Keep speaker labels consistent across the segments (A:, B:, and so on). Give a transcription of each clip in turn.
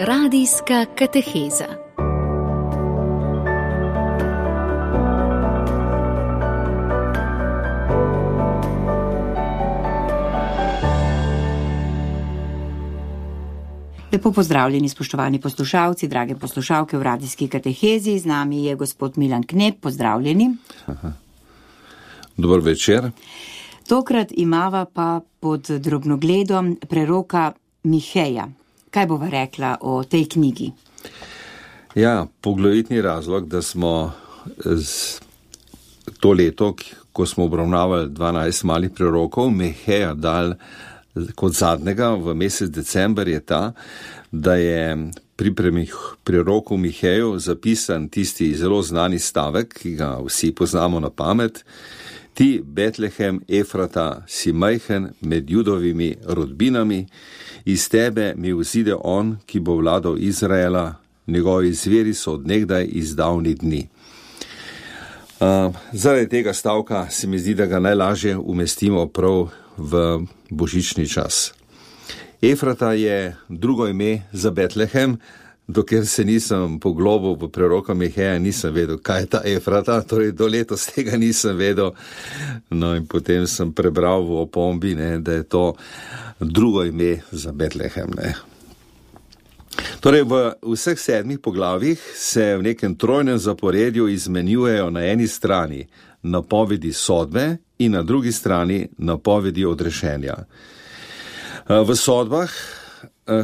A: Radijska kateheza.
B: Lepo pozdravljeni, spoštovani poslušalci, drage poslušalke v radijski katehezi. Z nami je gospod Milan Knep, pozdravljeni.
C: Dober večer.
B: Tokrat imava pa pod drobnogledom preroka Miheja. Kaj bova rekla o tej knjigi?
C: Ja, poglavitni razlog, da smo to leto, ko smo obravnavali 12 malih prerokov, Miheja dal kot zadnjega v mesec december, je ta, da je pri preroku Miheju zapisan tisti zelo znani stavek, ki ga vsi poznamo na pamet: Ti, Betlehem, Efrata, si majhen med Judovimi rodbinami, iz tebe mi vzide on, ki bo vladal Izraela, njegovi zveri so od nekdaj iz davnih dni. Zaradi tega stavka se mi zdi, da ga najlažje umestimo prav v božični čas. Efrata je drugo ime za Betlehem, dokler se nisem poglobil v preroka Miheja, nisem vedel, kaj je ta Efrata, torej do letos tega nisem vedel. No in potem sem prebral v opombi, da je to drugo ime za Betlehem. Torej v vseh 7 poglavjih se v nekem trojnem zaporedju izmenjujejo na eni strani napovedi sodbe in na drugi strani napovedi odrešenja. V sodbah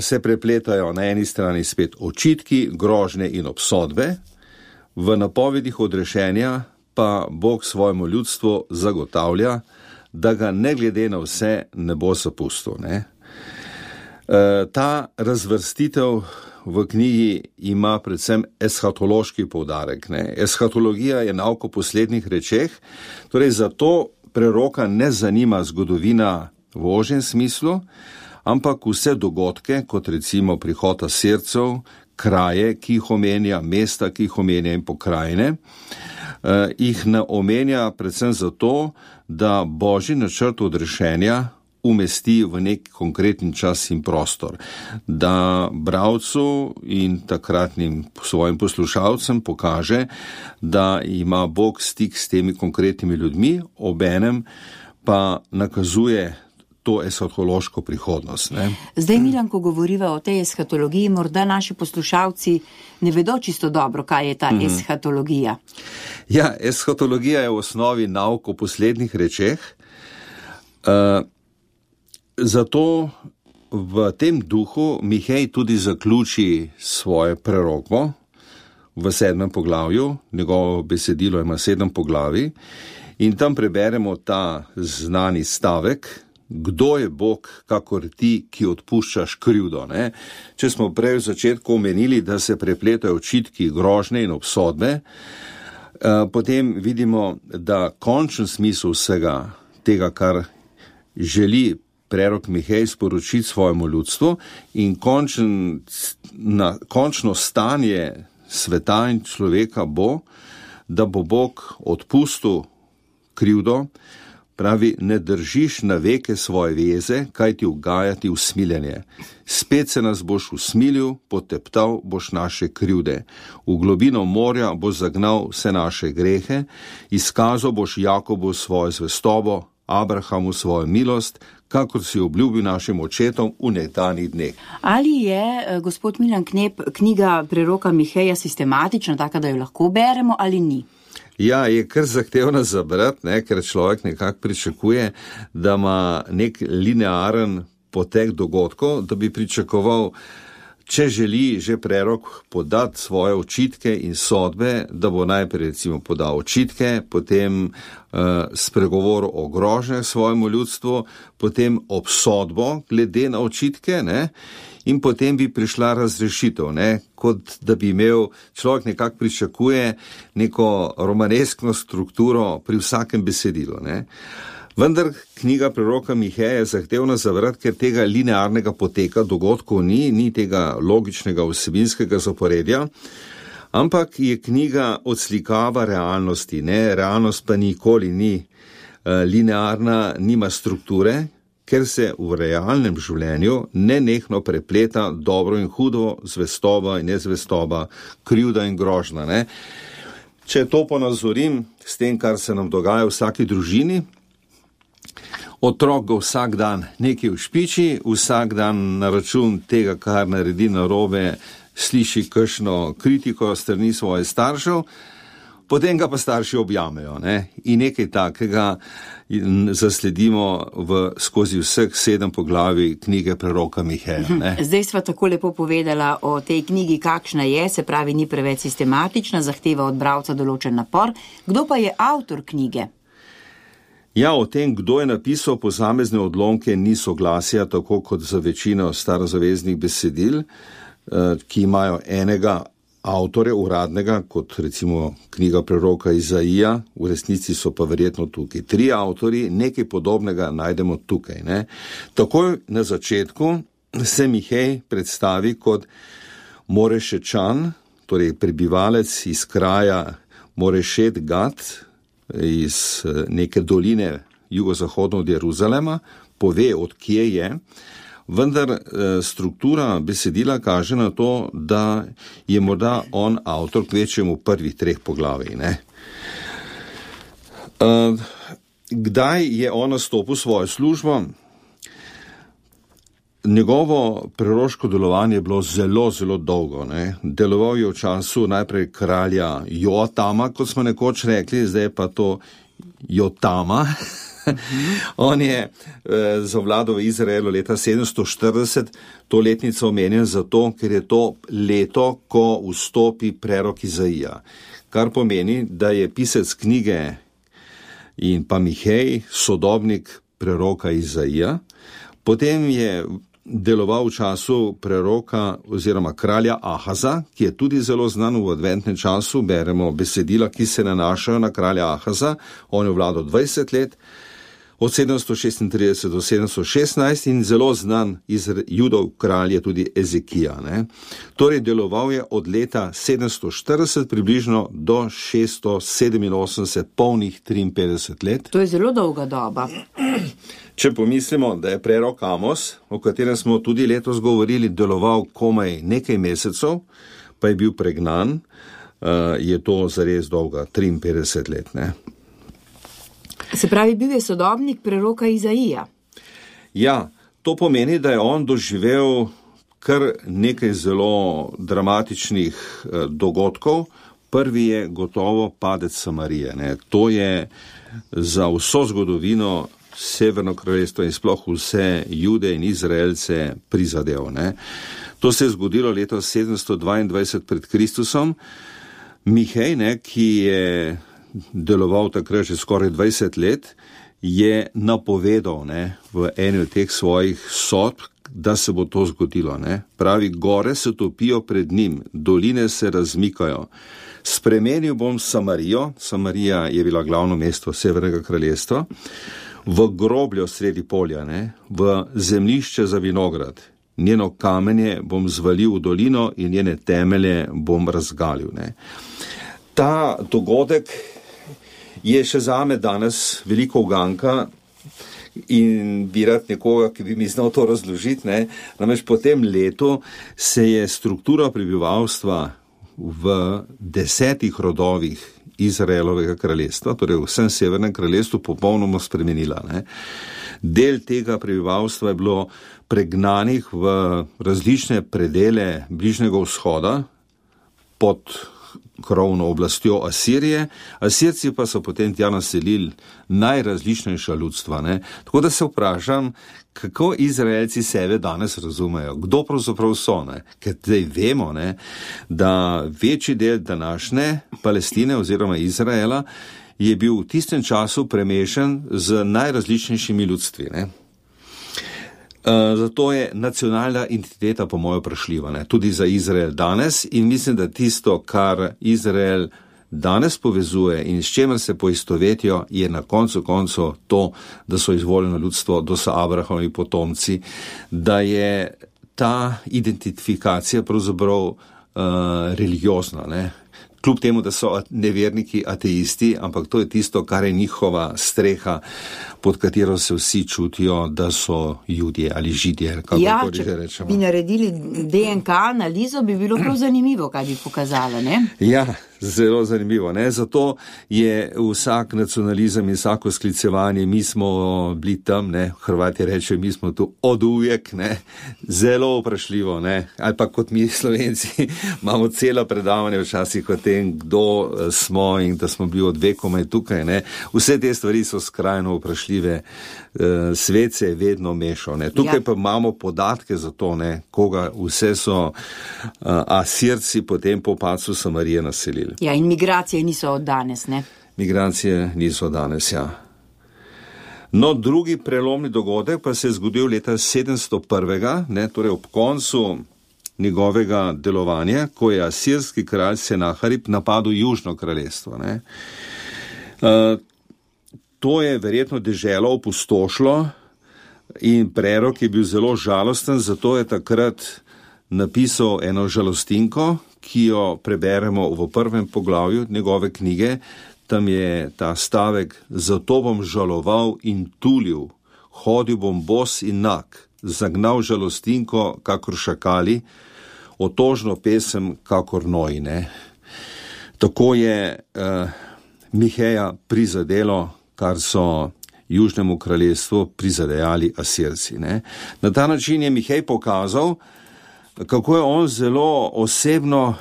C: se prepletajo na eni strani spet očitki, grožnje in obsodbe, v napovedih odrešenja pa Bog svojemu ljudstvu zagotavlja, da ga ne glede na vse ne bo zapustil. Ta razvrstitev v knjigi ima predvsem eshatološki poudarek. Eshatologija je nauk o poslednjih rečeh, torej zato preroka ne zanima zgodovina v ožjem smislu, ampak vse dogodke, kot recimo prihod Asircev, kraje, ki jih omenja, mesta, ki jih omenja in pokrajine, jih ne omenja predvsem zato, da božji načrt odrešenja umesti v nek konkreten čas in prostor, da bralcu in takratnim svojim poslušalcem pokaže, da ima Bog stik s temi konkretnimi ljudmi, obenem pa nakazuje to eshatološko prihodnost.
B: Zdaj, Milan, ko govoriva o tej eshatologiji, morda naši poslušalci ne vedo čisto dobro, kaj je ta eshatologija.
C: Ja, eshatologija je v osnovi nauk o poslednjih rečeh. Zato v tem duhu Mihej tudi zaključi svoje preroko v 7. poglavju, njegovo besedilo ima 7 poglavij, in tam preberemo ta znani stavek: Kdo je Bog, kakor ti, ki odpuščaš krivdo? Če smo prej v začetku omenili, da se prepletajo očitki, grožnje in obsodbe, potem vidimo, da končen smisel vsega tega, kar želi prerok Mihej sporočiti svojemu ljudstvu, in končno stanje sveta in človeka bo, da bo Bog odpustil krivdo. Pravi, ne držiš na veke svoje veze, kaj ti ugajati usmiljenje. Spet se nas boš usmilil, poteptal boš naše krivde. V globino morja boš zagnal vse naše grehe, izkazal boš Jakobu svojo zvestobo, Abrahamu svojo milost, kakor si obljubil našim očetom v nekdanjih dneh.
B: Ali je, gospod Milan Knep, knjiga preroka Miheja sistematična, taka, da jo lahko beremo, ali ni?
C: Ja, je kar zahtevna za brati, ker človek nekako pričakuje, da ima nek linearen potek dogodkov, da bi pričakoval, če želi že prerok podati svoje očitke in sodbe, da bo najprej recimo podal očitke, potem spregovoril o grožnjah svojemu ljudstvu, potem obsodbo glede na očitke, in potem bi prišla razrešitev, kot da bi imel človek nekako pričakuje neko romaneskno strukturo pri vsakem besedilu. Vendar knjiga preroka Miheja je zahtevna za brati, ker tega linearnega poteka dogodkov ni tega logičnega vsebinskega zaporedja, ampak je knjiga odslikava realnosti. Realnost pa nikoli ni linearna, nima strukture, ker se v realnem življenju nenehno prepleta dobro in hudo, zvestoba in nezvestoba, krivda in grožnja. Ne? Če to ponazorim s tem, kar se nam dogaja v vsaki družini, otrok ga vsak dan nekaj ušpiči, vsak dan na račun tega, kar naredi narobe, sliši kakšno kritiko strani svojih staršev, potem ga pa starši objamejo, ne? In nekaj takega zasledimo skozi vseh 7 poglavij knjige preroka Miheja. Ne?
B: Zdaj sva tako lepo povedala o tej knjigi, kakšna je, se pravi, ni preveč sistematična, zahteva od bralca določen napor. Kdo pa je avtor knjige?
C: Ja, o tem, kdo je napisal posamezne odlomke, ni soglasja, tako kot za večino starozaveznih besedil, ki imajo enega avtorja uradnega, kot recimo knjiga preroka Izaija, v resnici so pa verjetno tukaj 3 avtorji, nekaj podobnega najdemo tukaj. Ne? Takoj na začetku se Mihej predstavi kot Morešečan, torej prebivalec iz kraja Morešet Gat, iz neke doline jugozahodno od Jeruzalema, pove, od kje je, vendar struktura besedila kaže na to, da je morda on avtor kvečjemu prvih 3 poglavij. Ne? Kdaj je on nastopil svojo službo? Njegovo preroško delovanje je bilo zelo, zelo dolgo. Ne? Deloval je v času najprej kralja Joatama, kot smo nekoč rekli, zdaj pa to Jotama. On je zavladal v Izraelu leta 740, to letnico omenjen zato, ker je to leto, ko vstopi prerok Izaija. Kar pomeni, da je pisec knjige in pa Mihej sodobnik preroka Izaija. Potem je deloval v času preroka oziroma kralja Ahaza, ki je tudi zelo znan v adventnem času. Beremo besedila, ki se nanašajo na kralja Ahaza. On je vladal 20 let, od 736 do 716 in zelo znan iz Judov kralj je tudi Ezekija. Ne? Torej deloval je od leta 740 približno do 687, polnih 53 let.
B: To je zelo dolga doba.
C: Če pomislimo, da je prerok Amos, o katerem smo tudi letos govorili, deloval komaj nekaj mesecev, pa je bil pregnan, je to zares dolga 53 let. Ne?
B: Se pravi, bil je sodobnik preroka Izaija.
C: Ja, to pomeni, da je on doživel kar nekaj zelo dramatičnih dogodkov. Prvi je gotovo padec Samarije. Ne? To je za vso zgodovino Severno kraljestvo in sploh vse Jude in Izraelce prizadel. Ne? To se je zgodilo leto 722 pred Kristusom. Mihej, ne, ki je deloval takrat že skoraj 20 let, je napovedal, ne, v eni od teh svojih sodb, da se bo to zgodilo. Ne. Pravi, gore se topijo pred njim, doline se razmikajo. Spremenil bom Samarijo, Samarija je bila glavno mesto Severnega kraljestva, v grobljo sredi polja, ne, v zemljišče za vinograd. Njeno kamenje bom zvalil v dolino in njene temelje bom razgalil. Ne. Ta dogodek je še zame danes veliko uganka in bi rad nekoga, ki bi mi znal to razložiti. Ne. Namreč po tem letu se je struktura prebivalstva v 10 rodovih Izraelovega kraljestva, torej v vsem severnem kraljestvu, popolnoma spremenila. Ne. Del tega prebivalstva je bilo pregnanih v različne predele Bližnjega vzhoda pod krovno oblastjo Asirije. Asirci pa so potem tja naselili najrazličnejša ljudstva. Ne. Tako da se vprašam, kako Izraelci sebe danes razumejo, kdo pravzaprav so. Ne. Ker zdaj vemo, ne, da večji del današnje Palestine oziroma Izraela je bil v tistem času premešan z najrazličnejšimi ljudstvi. Ne. Zato je nacionalna identiteta po mojo vprašljiva, ne, tudi za Izrael danes, in mislim, da tisto, kar Izrael danes povezuje in s čemer se poistovetijo, je na koncu to, da so izvoljeno ljudstvo, da so Abrahamovi potomci, da je ta identifikacija pravzaprav religiozna, ne. kljub temu, da so neverniki ateisti, ampak to je tisto, kar je njihova streha, pod katero se vsi čutijo, da so Judje ali Židje, kako že rečemo.
B: Če bi naredili DNK analizo, bi bilo prav zanimivo, kaj bi pokazala, ne?
C: Ja, zelo zanimivo, ne? Zato je vsak nacionalizem in vsako sklicevanje, mi smo bili tam, ne? Hrvati rečejo, mi smo tu od uvijek, ne? Zelo vprašljivo, ne? Ali pa kot mi Slovenci imamo celo predavanje včasih o tem, kdo smo in da smo bili od vekomaj tukaj, ne? Vse te stvari so skrajno vprašljive. Svet se je vedno mešal, ne? Tukaj pa imamo podatke za to, ne? Koga vse so Asirci potem po padcu Samarije naselili.
B: Ja, in migracije niso od danes, ne?
C: Migracije niso danes, ja. No, drugi prelomni dogodek pa se je zgodil leta 701, ne, torej ob koncu njegovega delovanja, ko je asirski kralj Senaharib napadel Južno kraljestvo, ne. To je verjetno deželo opustošilo in prerok je bil zelo žalosten, zato je takrat napisal eno žalostinko, ki jo preberemo v prvem poglavju njegove knjige. Tam je ta stavek: zato bom žaloval in tulil, hodil bom bos in nag, zagnal žalostinko kakor šakali, otožno pesem kakor noji, ne. Tako je Miheja prizadelo, kar so Južnemu kraljestvu prizadejali Asirci, ne. Na ta način je Mihej pokazal, kako je on zelo osebno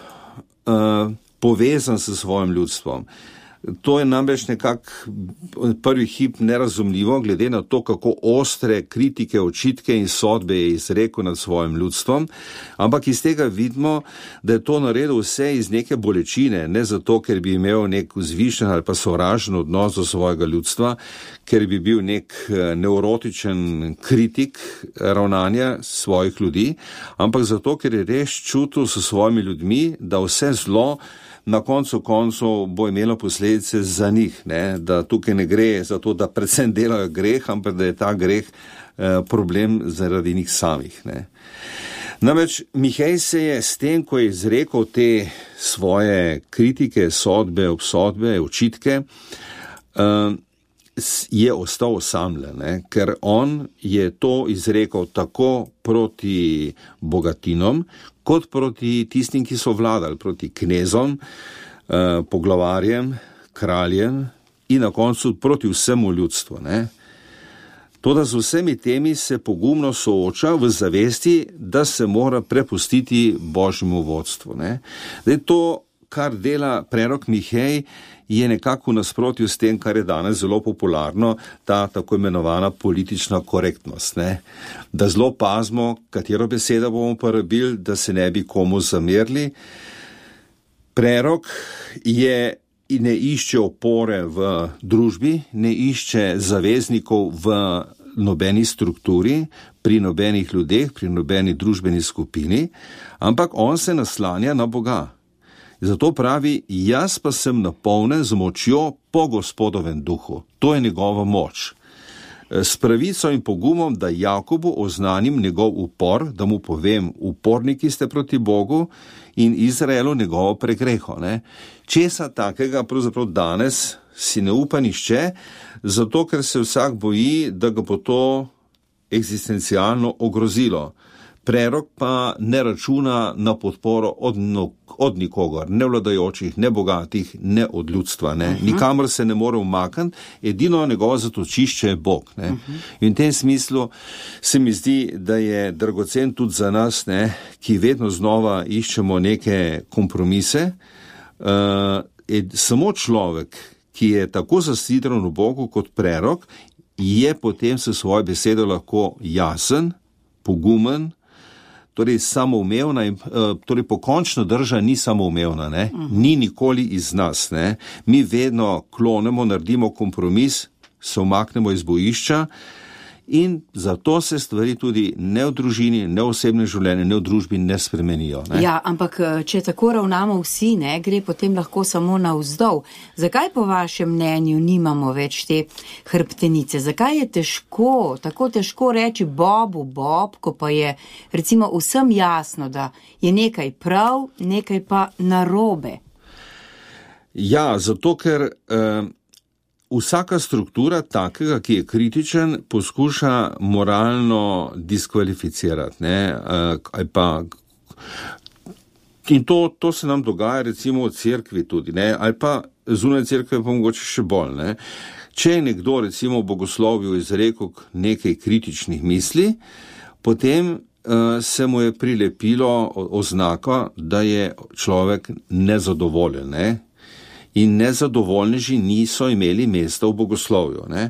C: povezan s svojim ljudstvom. To je namreč nekako prvi hip nerazumljivo, glede na to, kako ostre kritike, očitke in sodbe je izrekel nad svojim ljudstvom, ampak iz tega vidimo, da je to naredil vse iz neke bolečine, ne zato, ker bi imel nek vzvišen ali pa sovražen odnos do svojega ljudstva, ker bi bil nek nevrotičen kritik ravnanja svojih ljudi, ampak zato, ker je res čutil s svojimi ljudmi, da vse zlo na koncu koncev bo imelo posledice za njih, ne? Da tukaj ne gre za to, da predvsem delajo greh, ampak da je ta greh problem zaradi njih samih, ne? Namreč Mihej se je s tem, ko je izrekel te svoje kritike, sodbe, obsodbe, očitke, je ostal osamljen, ne? Ker on je to izrekel tako proti bogatinom, kot proti tistim, ki so vladali, proti knezom, poglavarjem, kraljem in na koncu proti vsemu ljudstvu, ne. Toda z vsemi temi se pogumno sooča v zavesti, da se mora prepustiti Božjemu vodstvu, ne. Zdaj to, kar dela prerok Mihej, je nekako v nasprotju s tem, kar je danes zelo popularno, ta tako imenovana politična korektnost, ne. Da zelo pazimo, katero besedo bomo uporabili, da se ne bi komu zamerili. Prerok ne išče opore v družbi, ne išče zaveznikov v nobeni strukturi, pri nobenih ljudeh, pri nobeni družbeni skupini, ampak on se naslanja na Boga. Zato pravi, jaz pa sem napolnjen z močjo po Gospodovem duhu. To je njegova moč. S pravico in pogumom, da Jakobu oznanim njegov upor, da mu povem, uporniki ste proti Bogu in Izraelu njegovo pregreho, ne. Česa takega pravzaprav danes si ne upa nihče, zato ker se vsak boji, da ga bo to eksistencialno ogrozilo. Prerok pa ne računa na podporo od nikogar, ne vladajočih, ne bogatih, ne od ljudstva, ne. Nikamor se ne more umakniti, edino njegovo zatočišče je Bog, ne. In v tem smislu se mi zdi, da je dragocen tudi za nas, ne, ki vedno znova iščemo neke kompromise. Samo človek, ki je tako zasidran v Bogu kot prerok, je potem s svojo besedo lahko jasen, pogumen, torej samoumevna in torej pokončna drža ni samoumevna, ne? Ni nikoli iz nas, ne? Mi vedno klonemo, naredimo kompromis, se umaknemo iz bojišča in zato se stvari tudi ne v družini, ne v osebnem življenju, ne v družbi ne spremenijo, ne?
B: Ja, ampak če tako ravnamo vsi, ne, gre potem lahko samo navzdol. Zakaj po vašem mnenju nimamo več te hrbtenice? Zakaj je tako težko reči Bobu Bob, ko pa je recimo vsem jasno, da je nekaj prav, nekaj pa narobe?
C: Ja, zato ker vsaka struktura takega, ki je kritičen, poskuša moralno diskvalificirati, ne, ali pa. In to se nam dogaja recimo v cerkvi tudi, ne, ali pa zunaj cerkve pa mogoče še bolj, ne. Če je nekdo recimo v bogoslovju izrekel nekaj kritičnih misli, potem se mu je prilepilo oznaka, da je človek nezadovoljen, ne. In nezadovoljneži niso imeli mesta v bogoslovju, ne.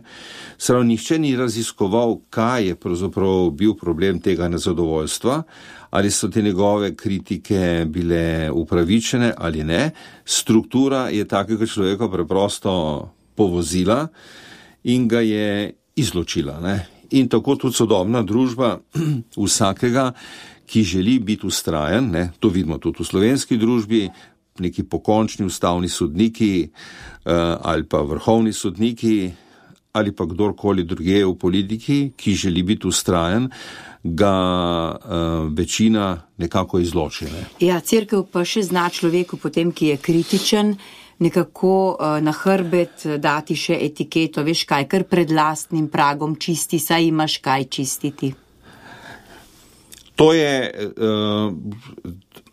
C: Saj nihče ni raziskoval, kaj je pravzaprav bil problem tega nezadovoljstva, ali so te njegove kritike bile upravičene ali ne. Struktura je takega človeka preprosto povozila in ga je izločila, ne. In tako tudi sodobna družba vsakega, ki želi biti vztrajen, ne, to vidimo tudi v slovenski družbi, neki pokončni ustavni sodniki ali pa vrhovni sodniki ali pa kdorkoli drugje v politiki, ki želi biti vztrajen, ga večina nekako izloči. Ne?
B: Ja, cerkev pa še zna človeku potem, ki je kritičen, nekako na hrbet dati še etiketo, veš kaj, kar pred lastnim pragom čisti, saj imaš kaj čistiti.
C: To je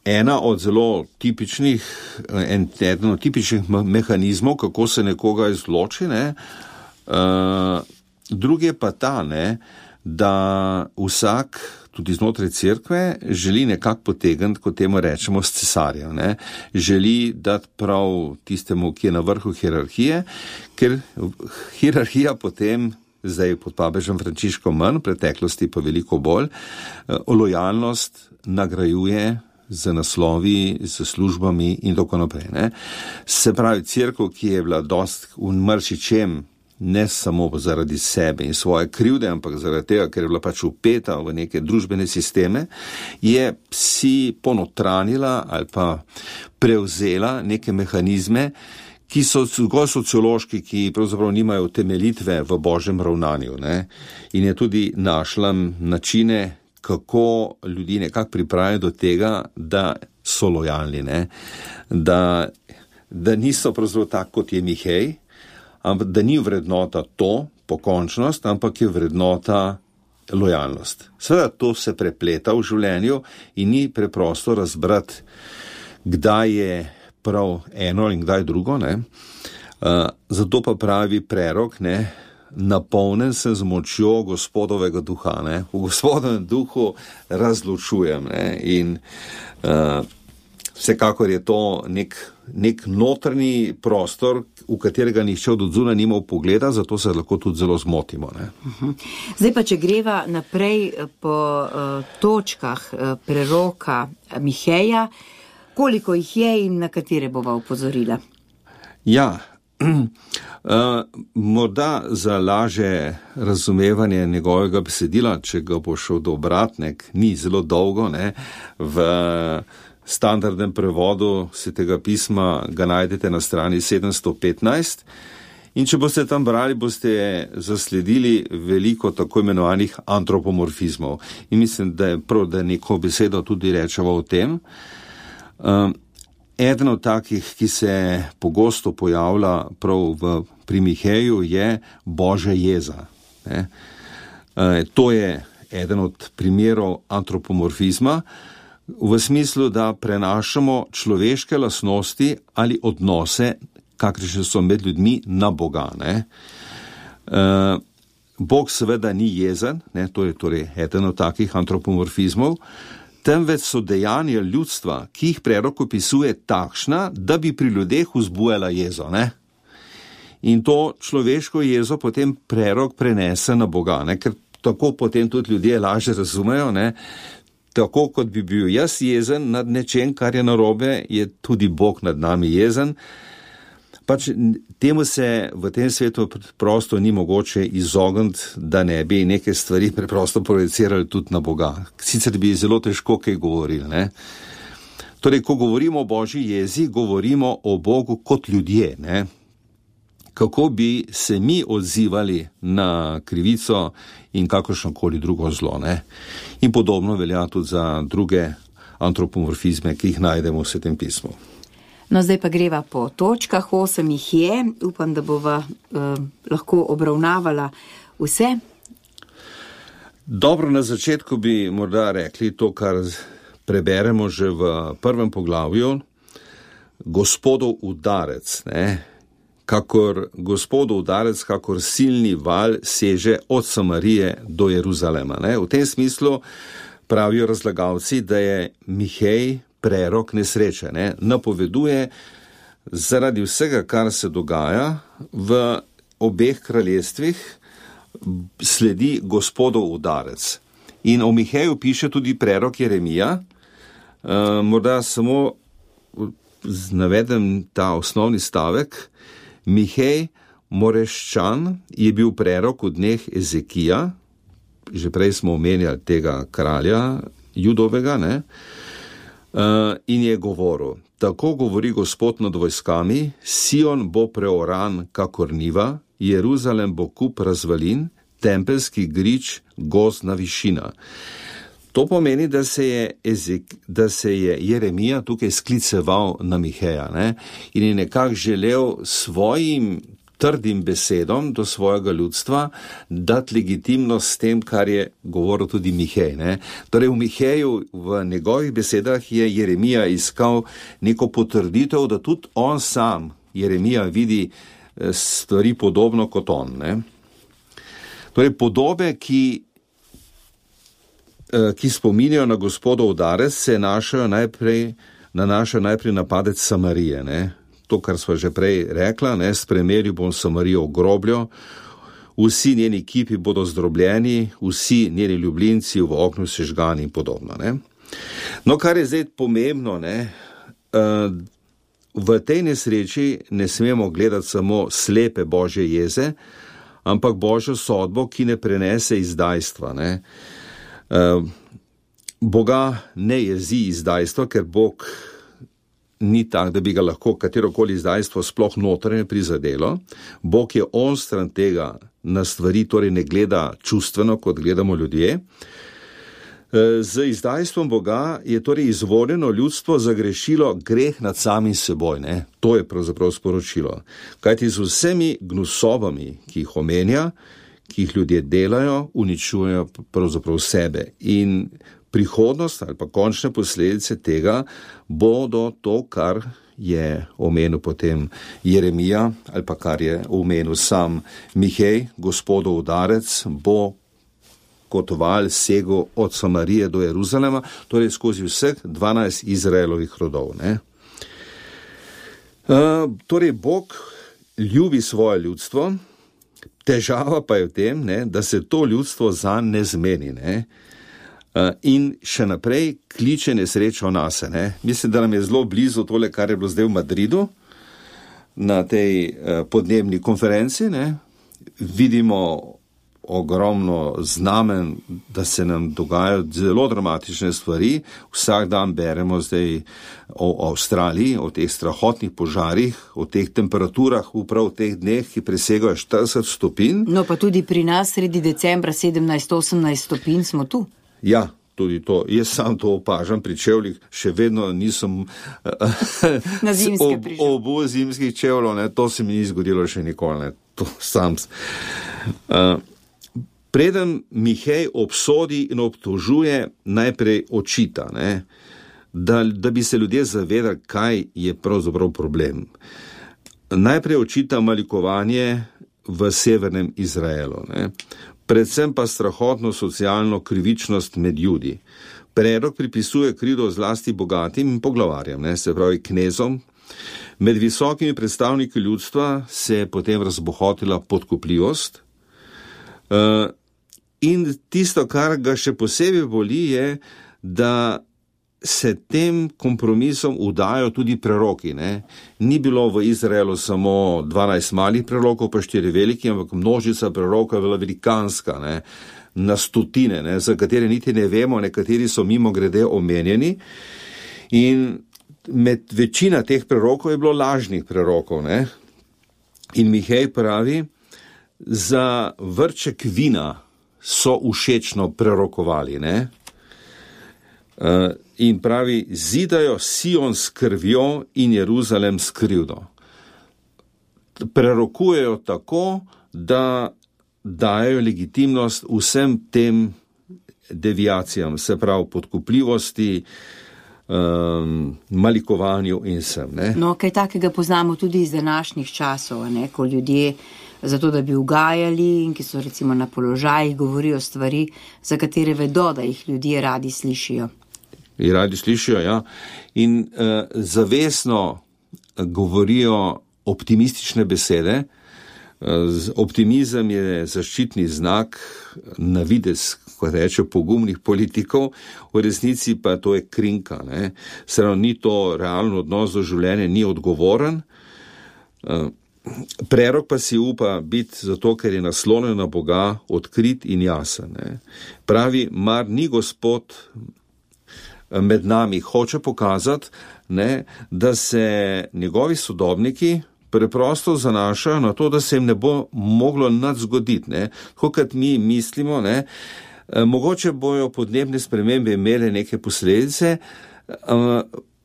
C: ena od zelo tipičnih, eden od tipičnih mehanizmov, kako se nekoga izloči, ne? Drugi je pa ta, ne, da vsak, tudi znotraj cerkve, želi nekako potegniti, kot temu rečemo, s cesarja, ne. Želi dati prav tistemu, ki je na vrhu hierarhije, ker hierarhija potem, zdaj pod papežem Frančiškom manj, v preteklosti pa veliko bolj, lojalnost nagrajuje z naslovi, z službami in tako naprej, ne. Se pravi, cerkev, ki je bila dost v marsičem, ne samo zaradi sebe in svoje krivde, ampak zaradi tega, ker je bila pač upeta v neke družbene sisteme, je si ponotranila ali pa prevzela neke mehanizme, ki so zgolj sociološki, ki pravzaprav nimajo utemeljitve v božjem ravnanju, ne. In je tudi našla načine, kako ljudi nekako pripravijo do tega, da so lojalni, ne. Da niso pravzaprav tako, kot je Mihej, ampak da ni vrednota to, pokončnost, ampak je vrednota lojalnost. Seveda to se prepleta v življenju in ni preprosto razbrati, kdaj je prav eno in kdaj drugo, ne. Zato pa pravi prerok, ne, napolnen sem z močjo Gospodovega duha, ne. V Gospodovem duhu razločujem, ne. In vsekakor je to nek notranji prostor, v katerega nihče od odzunaj nima vpogleda, zato se lahko tudi zelo zmotimo, ne.
B: Zdaj pa, če greva naprej po točkah preroka Miheja, koliko jih je in na katere bova upozorila?
C: Ja, morda za lažje razumevanje njegovega besedila, če ga bo šel dobrati, ni zelo dolgo, ne, v standardnem prevodu Svetega pisma ga najdete na strani 715 in če boste tam brali, boste zasledili veliko tako imenovanih antropomorfizmov. In mislim, da je prav, da neko besedo tudi rečemo o tem. Eden od takih, ki se pogosto pojavlja prav pri Miheju, je Božja jeza. Ne? To je eden od primerov antropomorfizma, v smislu, da prenašamo človeške lastnosti ali odnose, kakršne so med ljudmi, na Boga, ne. Bog seveda ni jezen, ne, to je torej eden od takih antropomorfizmov, temveč so dejanja ljudstva, ki jih prerok opisuje, takšna, da bi pri ljudeh vzbujala jezo, ne. In to človeško jezo potem prerok prenese na Boga, ne, ker tako potem tudi ljudje lažje razumejo, ne. Tako kot bi bil jaz jezen nad nečem, kar je narobe, je tudi Bog nad nami jezen. Pač temu se v tem svetu prosto ni mogoče izogniti, da ne bi neke stvari preprosto projicirali tudi na Boga. Sicer bi zelo težko kaj govorili, ne. Torej, ko govorimo o Božji jezi, govorimo o Bogu kot ljudje, ne. Kako bi se mi odzivali na krivico in kakršnokoli drugo zlo, ne. In podobno velja tudi za druge antropomorfizme, ki jih najdemo v Svetem pismu.
B: No, zdaj pa greva po točkah, 8 jih je, upam, da bova lahko obravnavala vse.
C: Dobro, na začetku bi morda rekli to, kar preberemo že v prvem poglavju, Gospodov udarec, ne? Kakor Gospodov udarec, kakor silni val seže od Samarije do Jeruzalema. Ne? V tem smislu pravijo razlagalci, da je Mihej prerok nesreče, ne? Napoveduje zaradi vsega, kar se dogaja v obeh kraljestvih, sledi Gospodov udarec. In o Miheju piše tudi prerok Jeremija. Morda samo navedem ta osnovni stavek. Mihej Moreščan je bil prerok v dneh Ezekija, že prej smo omenjali tega kralja Judovega, ne? In je govoril, tako govori Gospod nad vojskami, Sion bo preoran kakor niva, Jeruzalem bo kup razvalin, tempelski grič gozdna višina. To pomeni, da se je Jeremija tukaj skliceval na Miheja, ne? In je nekako želel svojim trdim besedom do svojega ljudstva dati legitimnost s tem, kar je govoril tudi Mihej. Ne? Torej v Miheju, v njegovih besedah je Jeremija iskal neko potrditev, da tudi on sam, Jeremija, vidi stvari podobno kot on. Ne? Torej podobe, ki spominjajo na Gospodov udarec, se nanašajo najprej na padec Samarije. Ne? To, kar sva že prej rekla, ne, spremeril bom Samarijo v grobljo, vsi njeni kipi bodo zdrobljeni, vsi njeni ljubljenci v oknu sežgani in podobno. Ne. No, kar je zdaj pomembno, ne, v tej nesreči ne smemo gledati samo slepe Božje jeze, ampak Božjo sodbo, ki ne prenese izdajstva. Ne. Boga ne jezi izdajstva, ker Bog ni tak, da bi ga lahko katerokoli izdajstvo sploh notranje prizadelo. Bog je onstran tega na stvari, torej ne gleda čustveno, kot gledamo ljudje. Z izdajstvom Boga je torej izvoljeno ljudstvo zagrešilo greh nad samim seboj. Ne? To je pravzaprav sporočilo. Kajti z vsemi gnusobami, ki jih omenja, ki jih ljudje delajo, uničujejo pravzaprav sebe. In prihodnost ali pa končne posledice tega bodo to, kar je omenil potem Jeremija ali pa kar je omenil sam Mihej, Gospodov udarec, bo kot val segel od Samarije do Jeruzalema, torej skozi vseh 12 Izraelovih rodov. Ne? Torej Bog ljubi svoje ljudstvo, težava pa je v tem, ne, da se to ljudstvo zanj ne zmeni, ne? In še naprej kliče nesrečo nase. Ne? Mislim, da nam je zelo blizu tole, kar je bilo zdaj v Madridu, na tej podnebni konferenci. Ne? Vidimo ogromno znamen, da se nam dogajajo zelo dramatične stvari. Vsak dan beremo zdaj o Avstraliji, o teh strahotnih požarih, o teh temperaturah prav v teh dneh, ki presegajo 40 stopinj.
B: No pa tudi pri nas sredi decembra 17-18 stopinj smo tu.
C: Ja, tudi to. Jaz sam to opažam pri čevljih, še vedno nisem obul zimskih čevljev, ne, to se mi ni zgodilo še nikoli, ne, to sam. Preden Mihej obsodi in obtožuje, najprej očita, ne, da bi se ljudje zavedali, kaj je pravzaprav problem. Najprej očita malikovanje v severnem Izraelu, ne. Predvsem pa strahotno socialno krivičnost med ljudi. Prerok pripisuje krivdo zlasti bogatim in poglavarjem, ne, se pravi knezom. Med visokimi predstavniki ljudstva se je potem razbohotila podkupljivost. In tisto, kar ga še posebej boli, je, da se tem kompromisom udajo tudi preroki. Ne? Ni bilo v Izraelu samo 12 malih prerokov, pa 4 veliki, ampak množica prerokov je bila velikanska, ne? Na stotine, ne? Za katere niti ne vemo, nekateri so mimo grede omenjeni. In med večina teh prerokov je bilo lažnih prerokov. Ne? In Mihej pravi, za vrček vina so všečno prerokovali, ne? In pravi, zidajo Sion s krvjo in Jeruzalem s krivdo. Prerokujejo tako, da dajo legitimnost vsem tem deviacijam, se pravi podkupljivosti, malikovanju in vsem.
B: No, kaj takega poznamo tudi iz današnjih časov, ko ljudje zato, da bi ugajali in ki so recimo na položajih, govorijo stvari, za katere vedo, da jih ljudje radi slišijo.
C: Ja. In zavestno govorijo optimistične besede. Optimizem je zaščitni znak, na videz, kot reče, pogumnih politikov, v resnici pa to je krinka. Seveda ni to realno odnos do življenja, ni odgovoren. Prerok pa si upa biti zato, ker je naslonjen na Boga, odkrit in jasen. Pravi, mar ni Gospod med nami, hoče pokazati, da se njegovi sodobniki preprosto zanašajo na to, da se jim ne bo moglo nič zgoditi. Tako kot mi mislimo, mogoče bojo podnebne spremembe imele neke posledice,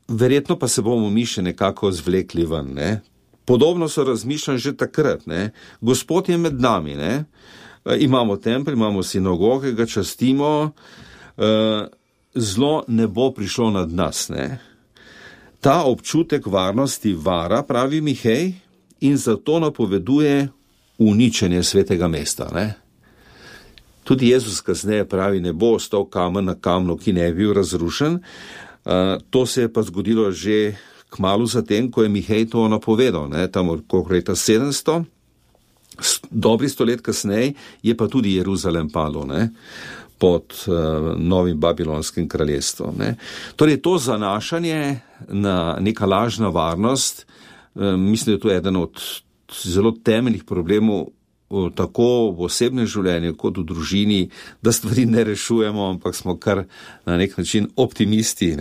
C: verjetno pa se bomo mi še nekako zvlekli ven. Podobno so razmišljali že takrat. Gospod je med nami. Imamo tempelj, imamo sinagoge, ga častimo, zlo ne bo prišlo nad nas. Ta občutek varnosti vara, pravi Mihej, in zato napoveduje uničenje svetega mesta. Tudi Jezus kasneje pravi, ne bo ostal kamen na kamnu, ki ne bi bil razrušen. To se je pa zgodilo že kmalu zatem, ko je Mihej to napovedal, tam okrog leta 700, dobri 100 let kasneje je pa tudi Jeruzalem padel, pod novim babilonskim kraljestvom. Torej, to zanašanje na neka lažna varnost, mislim, da je to eden od zelo temeljnih problemov tako v osebnem življenju kot v družini, da stvari ne rešujemo, ampak smo kar na nek način optimisti,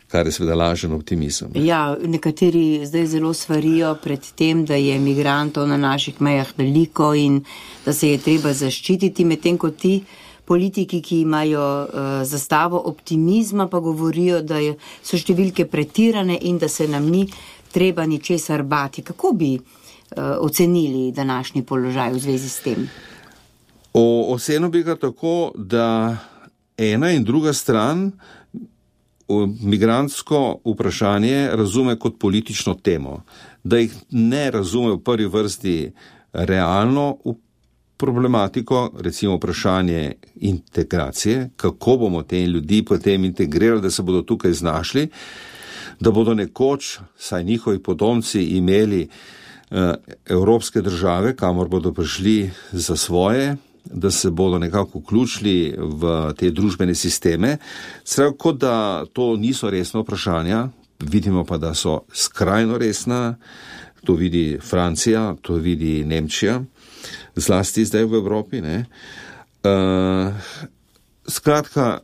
C: kar je seveda lažen optimizem.
B: Ja, nekateri zdaj zelo svarijo pred tem, da je migrantov na naših mejah veliko in da se je treba zaščititi, medtem ko ti politiki, ki imajo zastavo optimizma, pa govorijo, da so številke pretirane in da se nam ni treba ničesar bati. Kako bi ocenili današnji položaj v zvezi s tem?
C: Ocenil bi ga tako, da ena in druga stran migrantsko vprašanje razume kot politično temo, da jih ne razume v prvi vrsti realno problematiko, recimo vprašanje integracije, kako bomo te ljudi potem integrirali, da se bodo tukaj znašli, da bodo nekoč, saj njihovi potomci, imeli evropske države, kamor bodo prišli za svoje, da se bodo nekako vključili v te družbene sisteme. Seveda, kot da to niso resna vprašanja, vidimo pa, da so skrajno resna, to vidi Francija, to vidi Nemčija, zlasti zdaj v Evropi. Skratka,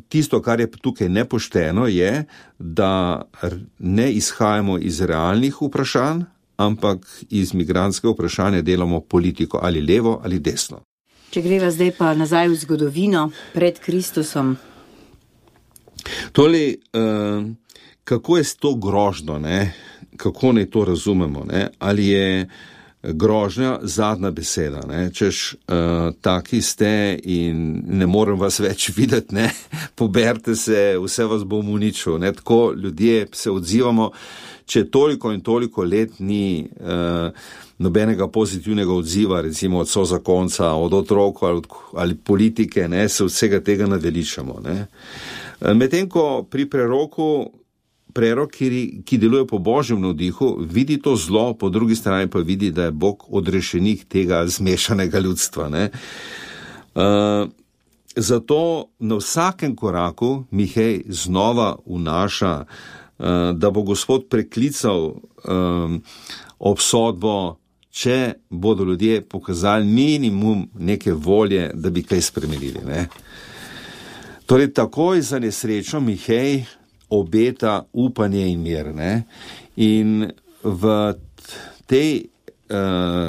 C: tisto, kar je tukaj nepošteno, je, da ne izhajamo iz realnih vprašanj, ampak iz migrantskega vprašanja delamo politiko, ali levo ali desno.
B: Če greva zdaj pa nazaj v zgodovino pred Kristusom.
C: Tole, kako je to grožno, kako naj to razumemo, ali je grožnja zadnja beseda, češ taki ste in ne morem vas več videti, poberte se, vse vas bom uničil, tako ljudje se odzivamo, če toliko in toliko let ni nobenega pozitivnega odziva, recimo od sozakonca, od otrok ali politike, se vsega tega naveličamo. Medtem ko pri prerok, ki deluje po Božjem navdihu, vidi to zlo, po drugi strani pa vidi, da je Bog odrešenik tega zmešanega ljudstva. Zato na vsakem koraku Mihej znova vnaša, da bo Gospod preklical obsodbo, če bodo ljudje pokazali minimum neke volje, da bi kaj spremenili. Torej, takoj za nesrečo Mihej obeta upanje in mir. In v tej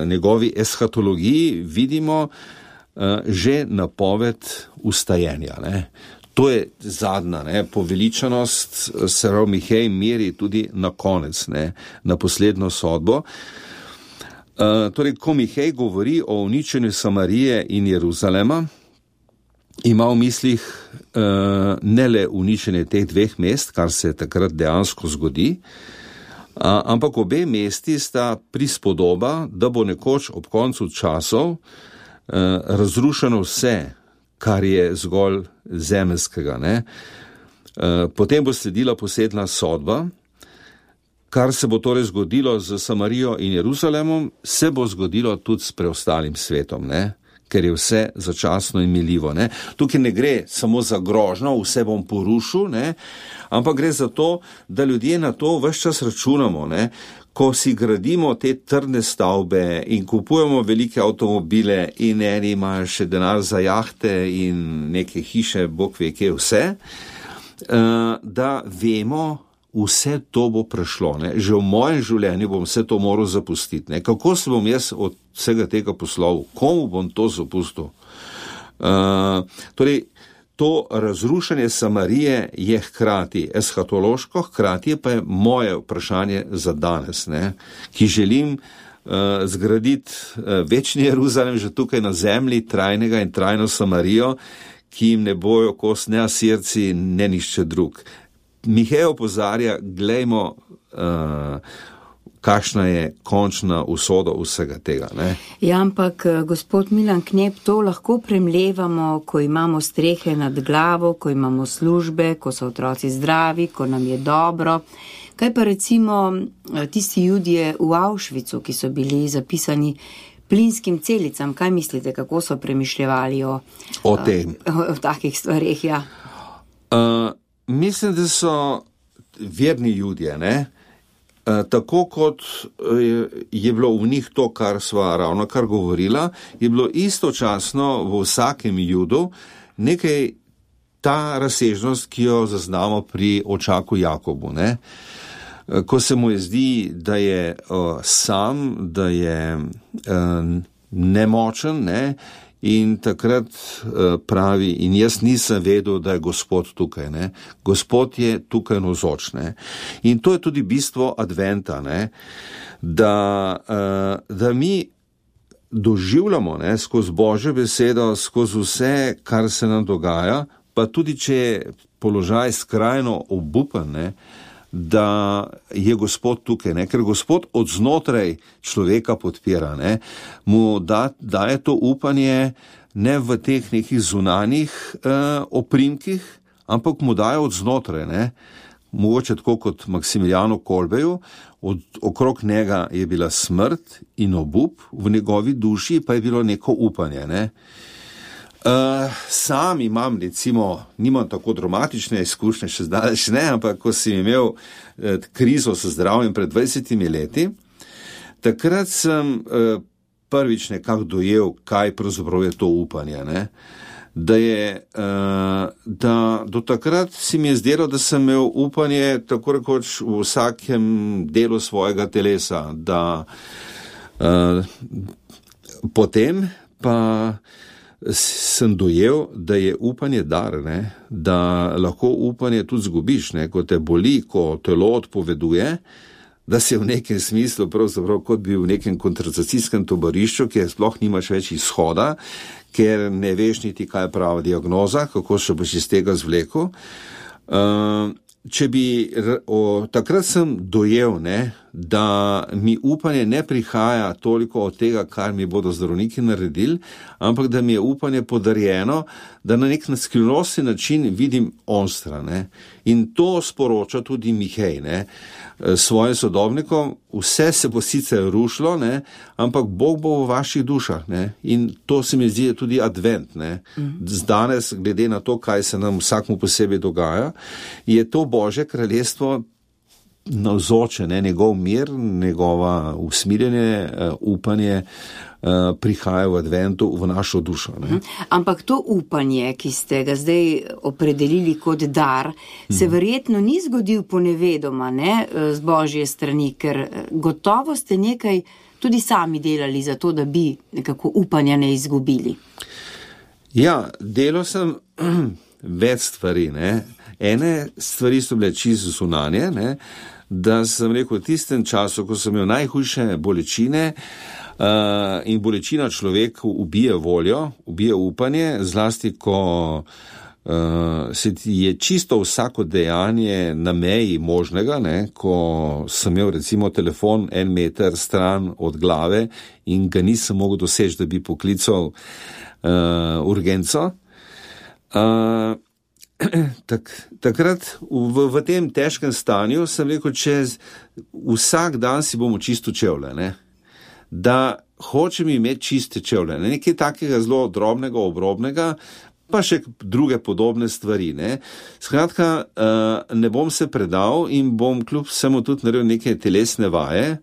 C: njegovi eschatologiji vidimo že napoved ustajenja. To je zadnja, poveličanost, se pravi Mihej meri tudi na konec, na poslednjo sodbo. Torej, ko Mihej govori o uničenju Samarije in Jeruzalema, ima v mislih ne le uničenje teh dveh mest, kar se takrat dejansko zgodi, ampak obe mesti sta prispodoba, da bo nekoč ob koncu časov razrušeno vse, kar je zgolj zemeljskega. Potem bo sledila posebna sodba, kar se bo torej zgodilo z Samarijo in Jeruzalemom, se bo zgodilo tudi s preostalim svetom, ker je vse začasno in miljivo. Tukaj ne gre samo za grožnjo, vse bom porušil, ampak gre za to, da ljudje na to ves čas računamo, ko si gradimo te trdne stavbe in kupujemo velike avtomobile in eni imajo še denar za jahte in neke hiše, bog ve kje vse, da vemo, vse to bo prešlo. Že v mojem življenju bom vse to moral zapustiti. Kako se bom jaz od vsega tega poslal? Komu bom to zapustil? Torej, to razrušanje Samarije je hkrati eshatološko, hkrati pa je moje vprašanje za danes, ki želim zgraditi večni Jeruzalem že tukaj na zemlji, trajnega in trajno Samarijo, ki jim ne bojo kos ne Asirci, ne nišče drug. Mihej opozarja, glejmo, kakšna je končna usoda vsega tega.
B: Ja, ampak gospod Milan Knep, to lahko premlevamo, ko imamo strehe nad glavo, ko imamo službe, ko so otroci zdravi, ko nam je dobro. Kaj pa recimo tisti Judje v Auschwitzu, ki so bili zapisani plinskim celicam? Kaj mislite, kako so premišljevali o takih stvareh? Ja.
C: Mislim, da so verni Judje, tako kot je bilo v njih to, kar sva ravno kar govorila, je bilo istočasno v vsakem Judu nekaj ta razsežnost, ki jo zaznamo pri očaku Jakobu, ko se mu je zdi, da je sam, da je nemočen, in takrat pravi, in jaz nisem vedel, da je Gospod tukaj, Gospod je tukaj navzoč, in to je tudi bistvo adventa, da mi doživljamo, skozi Božjo besedo, skozi vse, kar se nam dogaja, pa tudi, če je položaj skrajno obupan, da je Gospod tukaj, ker Gospod od znotraj človeka podpira, mu daje to upanje ne v teh nekih zunanjih oprimkih, ampak mu daje od znotraj, mogoče tako kot Maksimiljanu Kolbeju, okrog njega je bila smrt in obup, v njegovi duši pa je bilo neko upanje, Sam imam, recimo, nimam tako dramatične izkušnje, še zdaleč ne, ampak ko sem imel krizo s zdravjem pred 20 leti, takrat sem prvič nekako dojel, kaj pravzaprav je to upanje, da do takrat si mi je zdelo, da sem imel upanje tako rekoč v vsakem delu svojega telesa, da potem pa sem dojel, da je upanje dar, da lahko upanje tudi zgubiš, ko te boli, ko telo odpoveduje, da si v nekem smislu pravzaprav kot bi v nekem kontracepcijskem taborišču, kjer sploh nimaš več izhoda, ker ne veš niti, kaj je prava diagnoza, kako se boš iz tega zvlekel. Takrat sem dojel, da mi upanje ne prihaja toliko od tega, kar mi bodo zdravniki naredili, ampak da mi je upanje podarjeno, da na nek skrivnostni način vidim onstra. In to sporoča tudi Mihej, svojim sodobnikom, vse se bo sicer rušilo, ampak Bog bo v vaših dušah. In to se mi zdi tudi advent. Danes, glede na to, kaj se nam vsakmu posebej dogaja, je to Božje kraljestvo navzoče, njegov mir, njegova usmirjanje, upanje prihaja v adventu v našo dušo.
B: Ampak to upanje, ki ste ga zdaj opredelili kot dar, se verjetno ni zgodil ponevedoma, z Božje strani, ker gotovo ste nekaj tudi sami delali za to, da bi nekako upanja ne izgubili.
C: Ja, delal sem več stvari, ne. Ene stvari so bile čisto zunanje, ne, da sem rekel, v tistem času, ko sem imel najhujše bolečine, in bolečina človeku ubije voljo, ubije upanje, zlasti, ko se je čisto vsako dejanje na meji možnega, ne, ko sem imel recimo telefon 1 meter stran od glave in ga nisem mogel doseči, da bi poklical urgenco. Takrat v tem težkem stanju sem rekel, vsak dan si bomo čisto čevlje, ne, da hočem imeti čiste čevlje, nekaj takega zelo drobnega, obrobnega, pa še druge podobne stvari, ne. Skratka, ne bom se predal in bom kljub vsemu tudi naredil neke telesne vaje,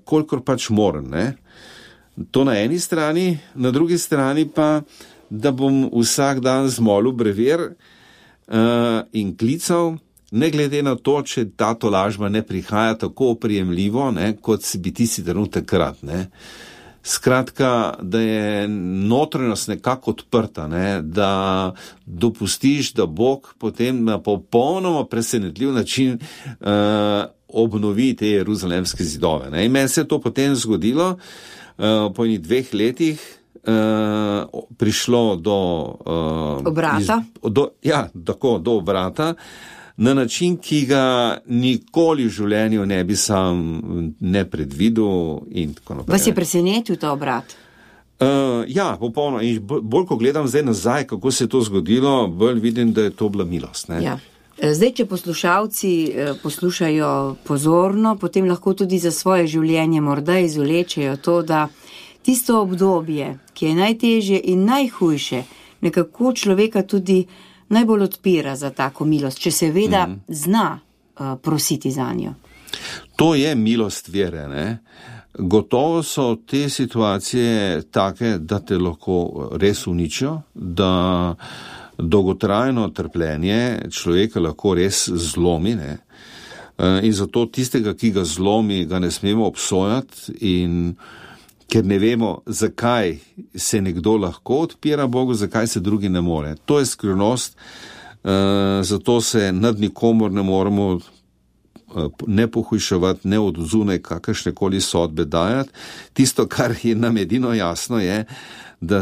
C: kolikor pač moram, ne. To na eni strani, na drugi strani pa, da bom vsak dan zmolil brever in klical, ne glede na to, če ta tolažba ne prihaja tako oprijemljivo, ne, kot bi tisti trenutek krat, ne. Skratka, da je notranjost nekako odprta, ne, da dopustiš, da Bog potem na popolnoma presenetljiv način obnovi te jeruzalemske zidove, ne. In meni se je to potem zgodilo, po enih 2 letih prišlo do
B: obrata.
C: Do obrata, na način, ki ga nikoli v življenju ne bi sam ne predvidel in tako naprej.
B: Vas je presenetil ta obrat?
C: Ja, popolno. In bolj, ko gledam zdaj nazaj, kako se je to zgodilo, bolj vidim, da je to bila milost, ne.
B: Ja. Zdaj, če poslušalci poslušajo pozorno, potem lahko tudi za svoje življenje morda izvlečejo to, da tisto obdobje, ki je najtežje in najhujše, nekako človeka tudi najbolj odpira za tako milost, če seveda zna prositi za njo.
C: To je milost vere, ne. Gotovo so te situacije take, da te lahko res uničijo, da dolgotrajno trpljenje človeka lahko res zlomi, ne. In zato tistega, ki ga zlomi, ga ne smemo obsojati, in ker ne vemo, zakaj se nekdo lahko odpira Bogu, zakaj se drugi ne more. To je skrivnost, zato se nad nikomor ne moremo ne pohujševati, ne od zunaj kakršnekoli sodbe dajati. Tisto, kar je nam edino jasno, je, da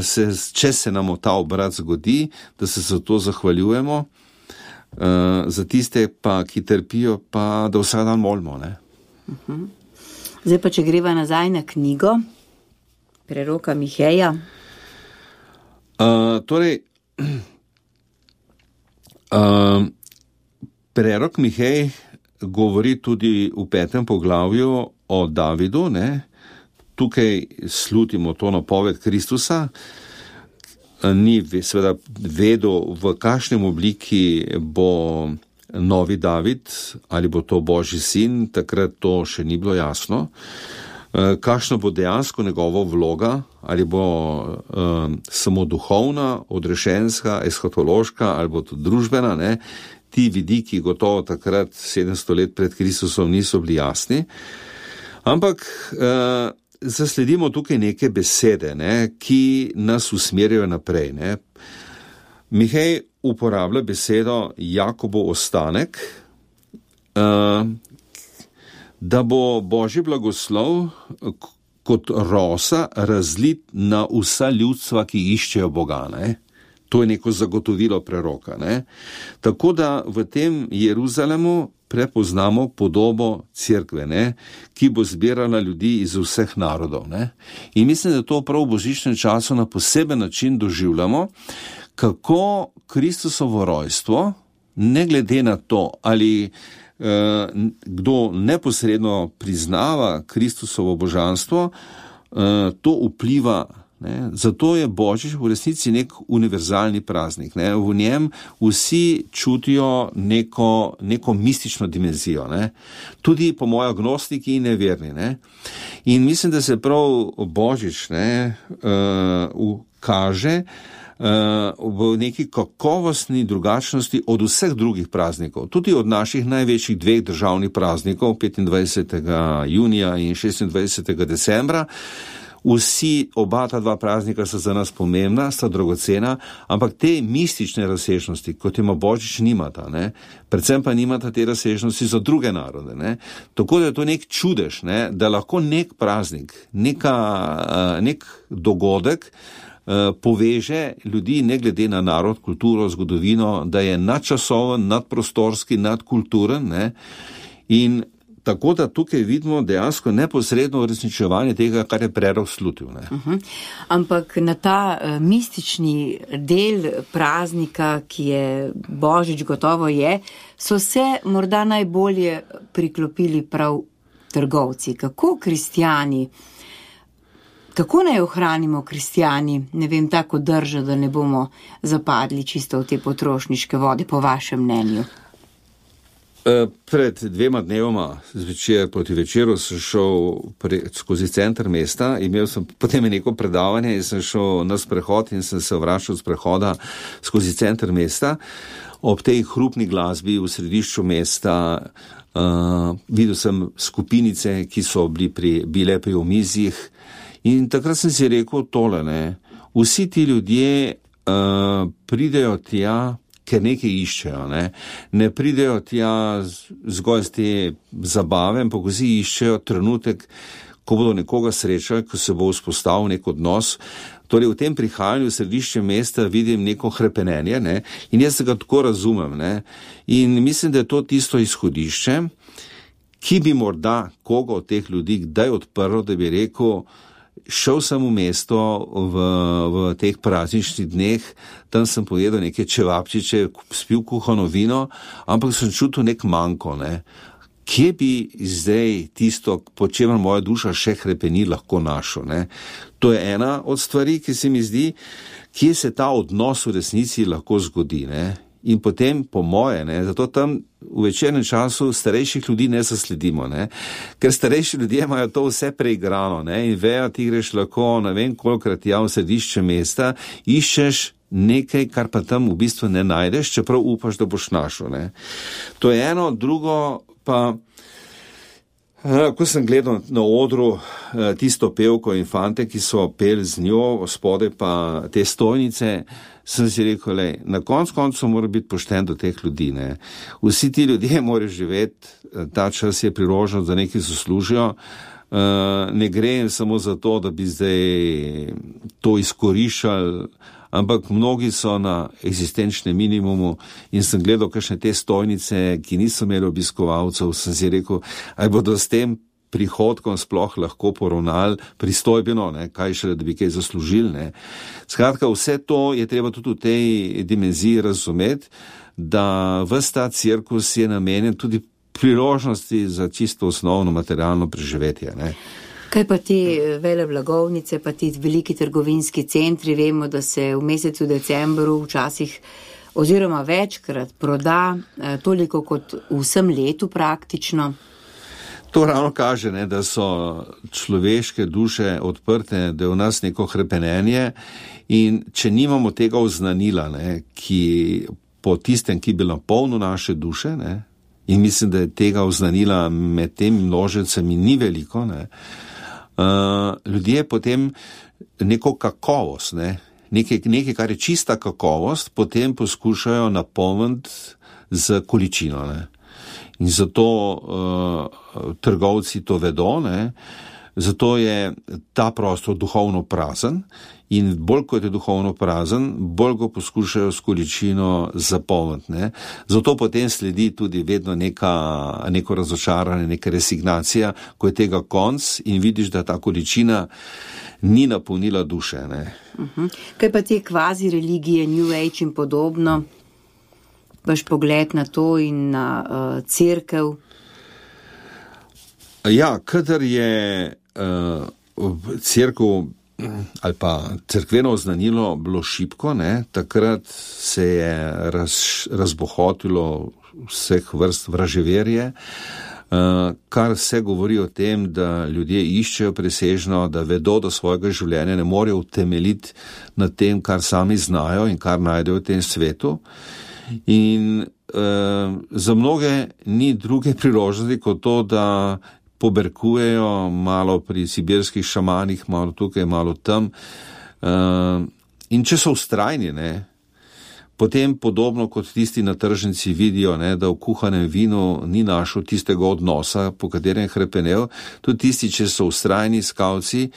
C: če se nam ta obrat zgodi, da se za to zahvaljujemo, za tiste pa, ki trpijo, pa da vsak dan molimo, ne.
B: Zdaj pa, če greva nazaj na knjigo preroka Miheja.
C: Prerok Mihej govori tudi v 5. poglavju o Davidu, ne. Tukaj slutimo to napoved Kristusa. Ni seveda vedel, v kakšnem obliki bo novi David, ali bo to Božji sin, takrat to še ni bilo jasno. Kakšna bo dejansko njegova vloga, ali bo samo duhovna, odrešenska, eskatološka, ali bo to družbena, ne. Ti vidiki gotovo takrat 700 let pred Kristusom niso bili jasni, ampak zasledimo tukaj neke besede, ne, ki nas usmerjajo naprej, ne. Mihej uporablja besedo Jakobov ostanek, da bo Božji blagoslov kot rosa razlit na vsa ljudstva, ki iščejo Boga, ne. To je neko zagotovilo preroka, ne. Tako da v tem Jeruzalemu prepoznamo podobo cerkve, ne, ki bo zbirala ljudi iz vseh narodov, ne. In mislim, da to prav v božičnem času na poseben način doživljamo, kako Kristusovo rojstvo, ne glede na to, ali kdo neposredno priznava Kristusovo božanstvo, to vpliva, ne. Zato je Božič v resnici nek univerzalni praznik, ne. V njem vsi čutijo neko mistično dimenzijo, ne. Tudi po moje agnostiki in neverni, ne. In mislim, da se prav Božič, ne, kaže v neki kakovostni drugačnosti od vseh drugih praznikov, tudi od naših največjih 2 državnih praznikov, 25. junija in 26. decembra. Oba ta dva praznika sta za nas pomembna, sta dragocena, ampak te mistične razsežnosti, kot ima Božič, nimata, ne? Predvsem pa nimata te razsežnosti za druge narode, ne? Tako da je to nek čudež, ne? Da lahko nek praznik, nek dogodek poveže ljudi ne glede na narod, kulturo, zgodovino, da je nadčasoven, nadprostorski, nadkulturen, ne? In tako da tukaj vidimo dejansko neposredno uresničevanje tega, kar je prerok slutil. Ne?
B: Ampak na ta mistični del praznika, ki je Božič gotovo je, so se morda najbolje priklopili prav trgovci. Kako kristjani, kako naj ohranimo kristjani, ne vem, tako držo, da ne bomo zapadli čisto v te potrošniške vode, po vašem mnenju?
C: Pred 2 dnevoma zvečer proti večeru sem šel skozi center mesta, imel sem potem neko predavanje in sem šel na sprehod in sem se vračal z prehoda skozi center mesta. Ob tej hrupni glasbi v središču mesta videl sem skupinice, ki so bile pri omizjih in takrat sem si rekel tole, ne, vsi ti ljudje pridejo tja, ker nekaj iščejo, ne pridejo tja zgolj z te zabave, ampak vsi iščejo trenutek, ko bodo nekoga srečali, ko se bo vzpostavil nek odnos. Torej v tem prihajanju v središče mesta vidim neko hrepenenje, ne, in jaz se ga tako razumem, ne, in mislim, da je to tisto izhodišče, ki bi morda koga od teh ljudi kdaj odprl, da bi rekel, šel sem v mesto v teh prazničnih dneh, tam sem pojedel neke čevapčiče, spil kuhano vino, ampak sem čutil nek manko, ne. Kje bi zdaj tisto, po čemer moja duša še hrepeni, lahko našel, ne. To je ena od stvari, ki se mi zdi, kje se ta odnos v resnici lahko zgodi, ne. In potem, po moje, ne, zato tam v večernem času starejših ljudi ne zasledimo, ne, ker starejši ljudje imajo to vse preigrano, ne, in vejo, ti greš lahko, ne vem kolikrat v središče mesta, iščeš nekaj, kar pa tam v bistvu ne najdeš, čeprav upaš, da boš našel, ne. To je eno, drugo pa, ko sem gledal na odru tisto pevko in fante, ki so peli z njo, spodaj pa te stojnice, sem si rekel, na koncu mora biti pošten do teh ljudi, ne. Vsi ti ljudje morajo živeti, ta čas je priložnost, da nekaj zaslužijo, ne gre samo za to, da bi zdaj to izkoriščali, ampak mnogi so na eksistenčnem minimumu in sem gledal kakšne te stojnice, ki niso imeli obiskovalcev, sem si rekel, aj bodo s tem prihodkom sploh lahko poravnali pristojbeno, ne, kaj šele, da bi kaj zaslužili, ne. Skratka, vse to je treba tudi v tej dimenziji razumeti, da ves ta cirkus je namenjen tudi priložnosti za čisto osnovno materialno preživetje, ne.
B: Kaj pa te vele blagovnice, pa ti veliki trgovinski centri, vemo, da se v mesecu decembru včasih oziroma večkrat proda toliko kot vsem letu praktično.
C: To ravno kaže, ne, da so človeške duše odprte, da je v nas neko hrepenenje in če nimamo tega oznanila, ne, ki po tistem, ki bi napolnil naše duše, ne, in mislim, da je tega oznanila med temi množicami ni veliko, ne, ljudje potem neko kakovost, ne, nekaj, kar je čista kakovost, potem poskušajo napolniti z količino, ne. In zato trgovci to vedo, ne, zato je ta prostor duhovno prazen in bolj kot je duhovno prazen, bolj go poskušajo s količino zapolniti, ne. Zato potem sledi tudi vedno neko razočaranje, neka resignacija, ko je tega konc in vidiš, da ta količina ni napolnila duše, ne.
B: Kaj pa te kvazi religije, New Age in podobno? Vaš pogled na to in na cerkev?
C: Ja, kadar je cerkev ali pa cerkveno oznanilo bilo šibko, ne, takrat se je razbohotilo vseh vrst vraževerje, kar se govori o tem, da ljudje iščejo presežno, da vedo, da svojega življenja ne morejo utemeljiti na tem, kar sami znajo in kar najdejo v tem svetu. In za mnoge ni druge priložnosti kot to, da poberkujejo, malo pri sibirskih šamanih, malo tukaj, malo tam. In če so vztrajni, ne, potem podobno kot tisti na tržnici vidijo, ne, da v kuhanem vinu ni našel tistega odnosa, po katerem je hrepenel, tudi tisti, če so vztrajni skavci,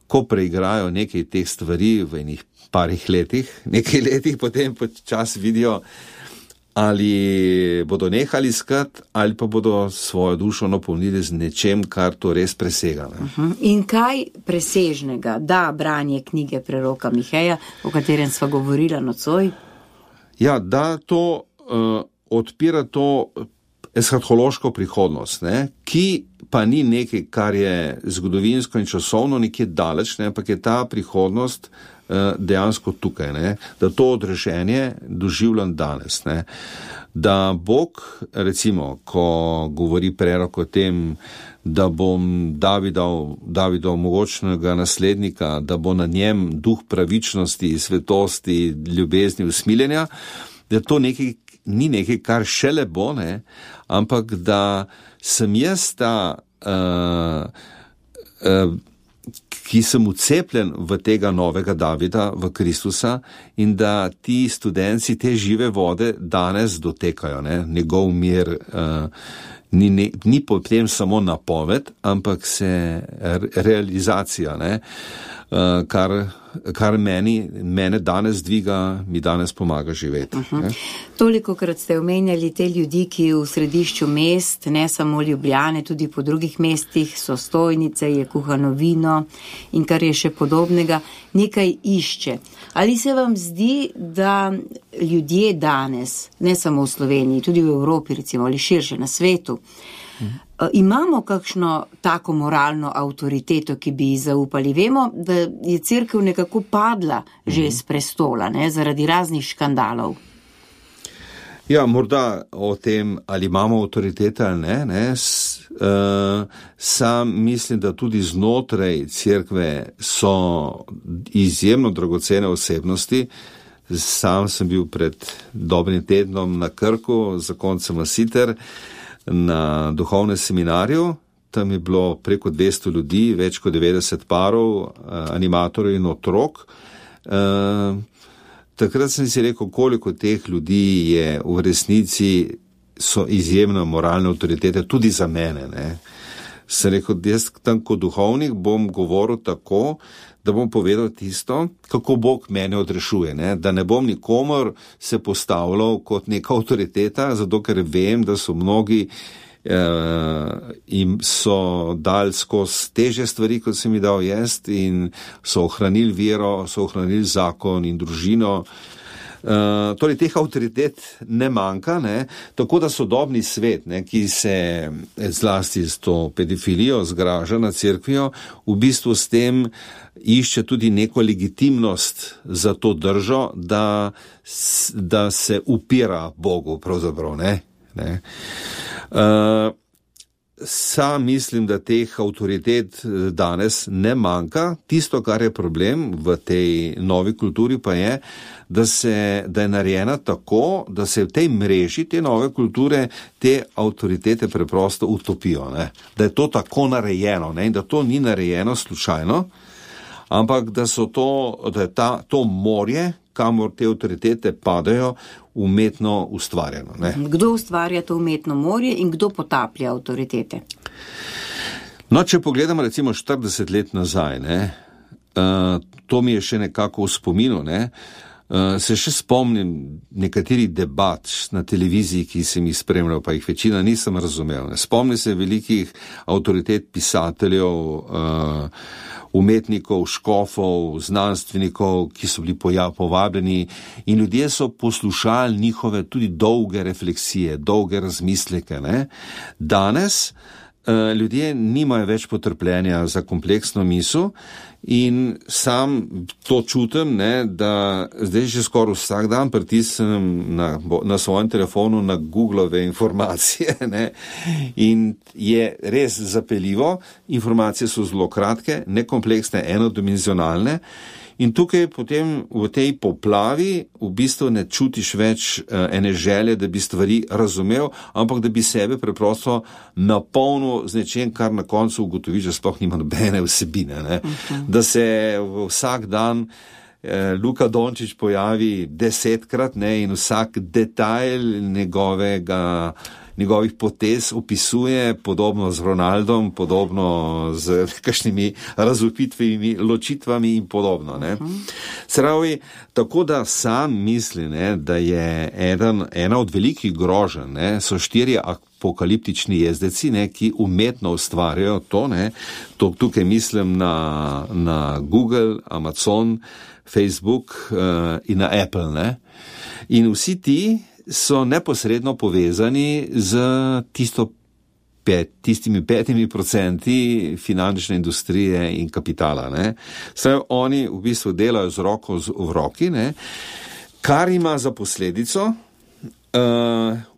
C: ko preigrajo nekaj teh stvari v enih parih letih, nekaj letih, potem počas vidijo, ali bodo nehali iskati, ali pa bodo svojo dušo napolnili z nečem, kar to res presega. Ne?
B: In kaj presežnega da branje knjige preroka Miheja, o katerem sva govorila nocoj?
C: Ja, da to odpira to eshatološko prihodnost, ne? Ki pa ni nekaj, kar je zgodovinsko in časovno nekje daleč, ne? Ampak je ta prihodnost dejansko tukaj, ne? Da to odrešenje doživljam danes. Ne? Da Bog, recimo, ko govori prerok o tem, da bom Davidov mogočnega naslednika, da bo na njem duh pravičnosti, svetosti, ljubezni, usmiljenja, da to nekaj, ni nekaj, kar šele bo, ne? Ampak da sem jaz ta ki sem ucepljen v tega novega Davida, v Kristusa, in da ti studenci te žive vode danes dotekajo, ne? Njegov mir ni potem samo napoved, ampak se realizacija, ne? Kar mene danes dviga, mi danes pomaga živeti.
B: Tolikokrat ste omenjali te ljudi, ki v središču mest, ne samo Ljubljane, tudi po drugih mestih so stojnice, je kuhano vino in kar je še podobnega, nekaj išče. Ali se vam zdi, da ljudje danes, ne samo v Sloveniji, tudi v Evropi recimo, ali širše na svetu, imamo kakšno tako moralno avtoriteto, ki bi ji zaupali? Vemo, da je cerkev nekako padla že z prestola, ne, zaradi raznih škandalov.
C: Ja, morda o tem, ali imamo avtoritete ali ne. Sam mislim, da tudi znotraj cerkve so izjemno dragocene osebnosti. Sam sem bil pred dobrim tednom na Krku, zakoncem Masiter, na duhovnem seminarju. Tam je bilo preko 200 ljudi, več kot 90 parov, animatorjev in otrok. Takrat sem si rekel, koliko teh ljudi je v resnici, so izjemno moralne avtoritete, tudi za mene. Ne? Sem rekel, jaz tam kot duhovnik bom govoril tako, da bom povedal tisto, kako Bog mene odrešuje. Ne? Da ne bom nikomor se postavljal kot neka avtoriteta, zato ker vem, da so mnogi in so dali skozi teže stvari, kot sem jih dal jaz, in so ohranili vero, so ohranili zakon in družino. Torej, teh avtoritet ne manjka, ne? Tako da sodobni svet, ne, ki se zlasti s to pedofilijo zgraža nad cerkvijo, v bistvu s tem išče tudi neko legitimnost za to držo, da se upira Bogu, pravzaprav, ne? Sam mislim, da teh avtoritet danes ne manjka. Tisto, kar je problem v tej novi kulturi, pa je, da je narejena tako, da se v tej mreži te nove kulture te avtoritete preprosto utopijo. Ne? Da je to tako narejeno, ne? In da to ni narejeno slučajno, ampak da je to morje, kamor te avtoritete padajo, umetno ustvarjeno. Ne?
B: Kdo ustvarja to umetno morje in kdo potaplja avtoritete?
C: No, če pogledamo recimo 40 let nazaj, ne, to mi je še nekako v spominu, ne, se še spomnim nekaterih debat na televiziji, ki sem jih spremljal, pa jih večina nisem razumel. Ne. Spomnim se velikih avtoritet pisateljev, umetnikov, škofov, znanstvenikov, ki so bili povabljeni, in ljudje so poslušali njihove tudi dolge refleksije, dolge razmisleke. Ne. Danes ljudje nimajo več potrpljenja za kompleksno misel in sam to čutim, ne, da zdaj že skoraj vsak dan pritisnem na svojem telefonu na Googlove informacije, ne, in je res zapeljivo, informacije so zelo kratke, nekompleksne, enodimenzionalne In tukaj potem v tej poplavi v bistvu ne čutiš več ene želje, da bi stvari razumel, ampak da bi sebe preprosto napolnil z nečem, kar na koncu ugotoviš, da sploh nima nobene vsebine. Ne? Da se vsak dan Luka Dončić pojavi 10-krat, ne, in vsak detajl njegovih potez opisuje, podobno z Ronaldom, podobno z kakšnimi razvpitvenimi ločitvami in podobno. Ne. Se pravi, tako da sam mislim, ne, da je ena od velikih groženj, ne, so 4 apokaliptični jezdeci, ne, ki umetno ustvarjajo to, ne. Tukaj mislim na Google, Amazon, Facebook in na Apple. Ne. In vsi ti so neposredno povezani z tistimi 5% finančne industrije in kapitala. Ne. Saj oni v bistvu delajo z roko v roki, ne, kar ima za posledico